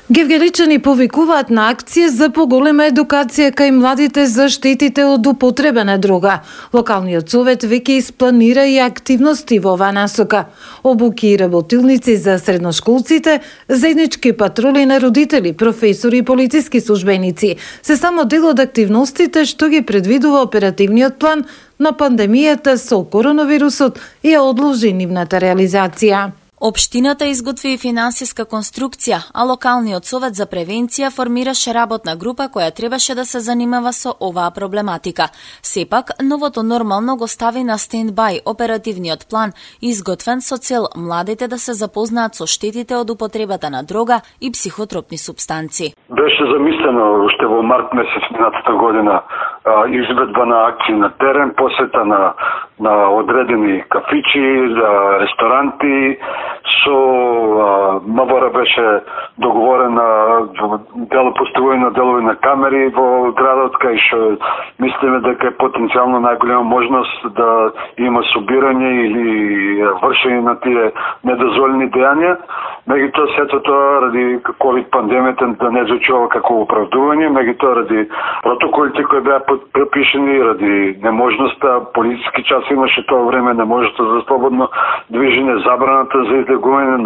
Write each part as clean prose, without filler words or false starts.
Гевгеличани повикуваат на акција за поголема едукација кај младите за штетите од употреба на дрога. Локалниот совет веќе испланира и активности во оваа насока. Обуки и работилници за средношколците, заеднички патрули на родители, професори и полициски службеници се само дел од активностите што ги предвидува оперативниот план, но пандемијата со коронавирусот ја одложи нивната реализација. Општината изготви и финансиска конструкција, а локалниот совет за превенција формираше работна група која требаше да се занимава со оваа проблематика. Сепак, новото нормално го стави на стендбај оперативниот план, изготвен со цел младите да се запознаат со штетите од употребата на дрога и психотропни супстанци. Беше замислено уште во март месец минатата година изведба на акции на терен, посета на одредени кафичи, ресторанти. Со МВР беше договорена поставување на делови на камери во градот, кај што мислиме дека е потенцијално најголема можност да има собирање или вршење на тие недозволени дејања. Меѓутоа сето тоа ради ковид пандемијата да не звучува како оправдување, меѓутоа ради протоколите кои беа препишени, ради неможноста, полициски час имаше тоа време, неможноста за слободно движење, забраната за излегување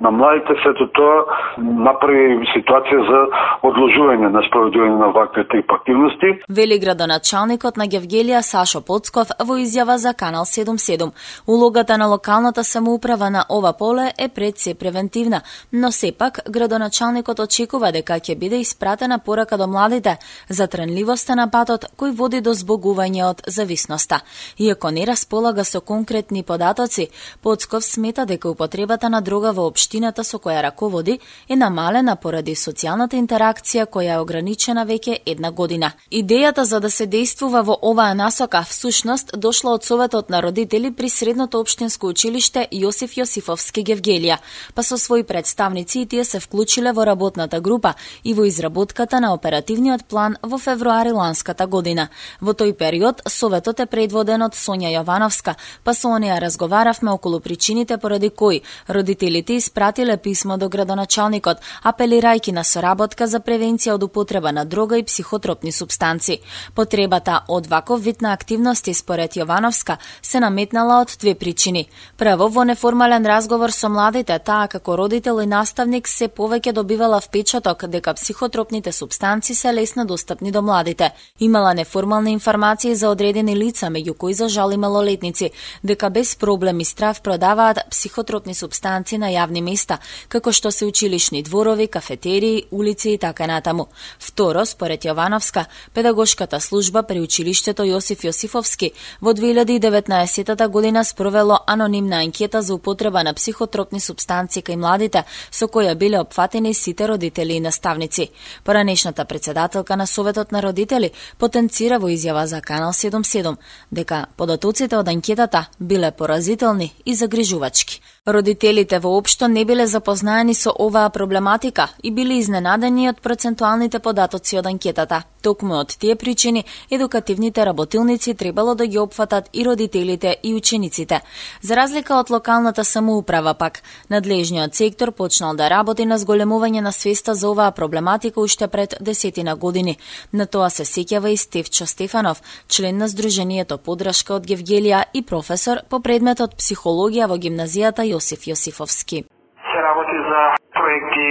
на младите, сето тоа направи ситуација за одложување на спроведување на вакви тип активности. Вели градоначалникот на Гевгелија Сашо Поцков во изјава за Канал 77. Улогата на локалната самоуправа на ова поле е пред се превентивна, но сепак градоначалникот очекува дека ќе биде испратена порака до младите за тренливоста на патот кој води до збогување од зависноста. Иако не располага со конкретни податоци, Поцков смета дека употребата на дрога во општината со која раководи е намалена поради социјалната интеракција која е ограничена веќе една година. Идејата за да се действува во оваа насока всушност дошла од Советот на родители при Средното општинско училиште Јосиф Јосифовски Гевгелија, па со своји представници и тие се вклучиле во работната група и во изработката на оперативниот план во февруари ланската година. Во тој период Советот е предводен од Сонја Јовановска, па со неа разговаравме околу причините поради кои родителите испратиле писмо до градоначалникот, апелирајќи на соработка за превенција од употреба на дрога и психотропни супстанци. Потребата од ваков вид на активности според Јовановска се наметнала од две причини. Прво, во неформален разговор со младите, таа како родител и наставник се повеќе добивала впечаток дека психотропните супстанци се лесно достапни до младите. Имала неформални информации за одредени лица, меѓу кои за жал и малолетници, дека без проблем и страв продаваат психотропни супстанци на јавни места, како што се училишни дворови, кафетерии, улици и така натаму. Второ, според Јовановска, педагошката служба при училиштето Јосиф Јосифовски во 2019 година спровело анонимна анкета за употреба на психотропни супстанци кај младите, со која биле опфатени сите родители и наставници. Поранешната председателка на Советот на родители потенцира во изјава за Канал 77 дека податоците од анкетата биле поразителни и загрижувачки. Родителите воопшто не биле запознаени со оваа проблематика и биле изненадени од процентуалните податоци од анкетата. Токму од тие причини, едукативните работилници требало да ги опфатат и родителите и учениците. За разлика од локалната самоуправа пак, надлежниот сектор почнал да работи на зголемување на свеста за оваа проблематика уште пред 10 години. На тоа се сеќава и Стефчо Стефанов, член на Сдруженијето Подршка од Гевгелија и професор по предметот психологија во гимназијата Јосиф Јосифовски. Се работи за проекти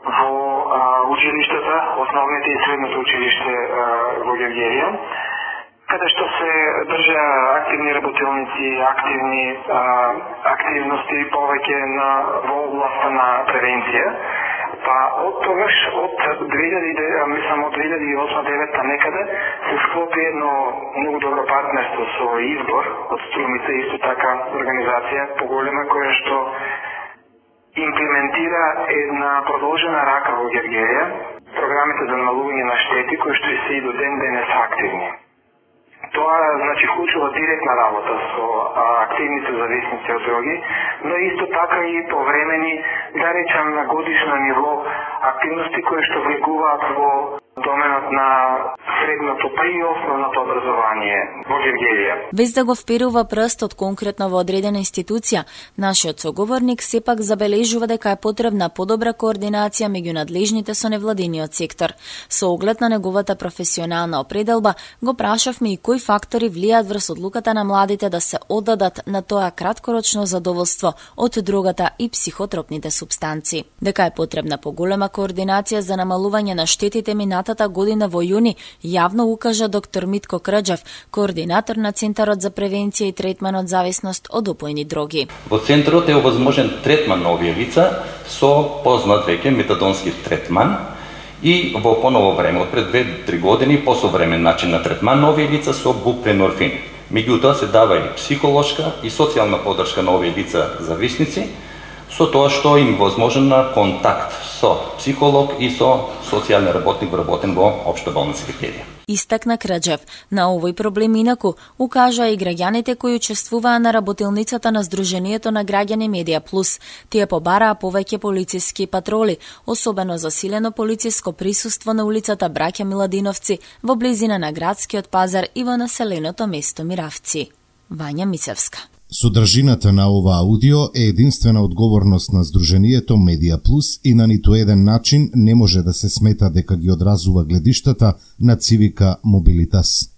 во училиштата, основните и средното училиште во Гевгелија, каде што се држа активни работилници, активности повеќе во областа на превенција. Па од тогаш, од 2008-2009 некаде, се склопи едно многу добро партнерство со Избор од Струмица, исто така организација поголема која што имплементира една продолжена рака во Гевгелија, програмите за намалување на штети кои што се и до ден денес активни. Тоа значи вклучува директна работа со активните зависници од дроги, но исто така и повремени, да речам на годишно ниво, активности кои што влегуваат во доменот на средното па и основното образование во Гевгелија. Без да го вперува прстот конкретно во одредена институција, нашиот соговорник сепак забележува дека е потребна подобра координација меѓу надлежните со невладиниот сектор. Со оглед на неговата професионална определба, го прашавме и кои фактори влијаат врз одлуката на младите да се оддадат на тоа краткорочно задоволство од дрогата и психотропните супстанци. Дека е потребна поголема координација за намалување на штетите минатата година во јуни, јавно укажа доктор Митко Краџев, координатор на Центарот за превенција и третман од зависност од опојни дроги. Во центарот е овозможен третман на овие лица со познат веќе метадонски третман и во поново време, од пред 2-3 години, посовремен начин на третман на овие лица со бупренорфин. Меѓутоа се дава и психолошка и социјална поддршка на овие лица зависници, со тоа што им возможен на контакт со психолог и со социјален работник вработен во Општа болница Гевгелија. Истакна Краџев. На овој проблем инаку укажа и граѓаните кои учествуваа на работилницата на Сдруженијето на граѓани Медија Плюс. Тие побараа повеќе полициски патроли, особено засилено полициско присуство на улицата Браќа Миладиновци во близина на градскиот пазар и во населеното место Миравци. Вања Мицевска. Содржината на ова аудио е единствена одговорност на Сдруженијето Медија Плюс и на ниту еден начин не може да се смета дека ги одразува гледиштата на Цивика Мобилитас.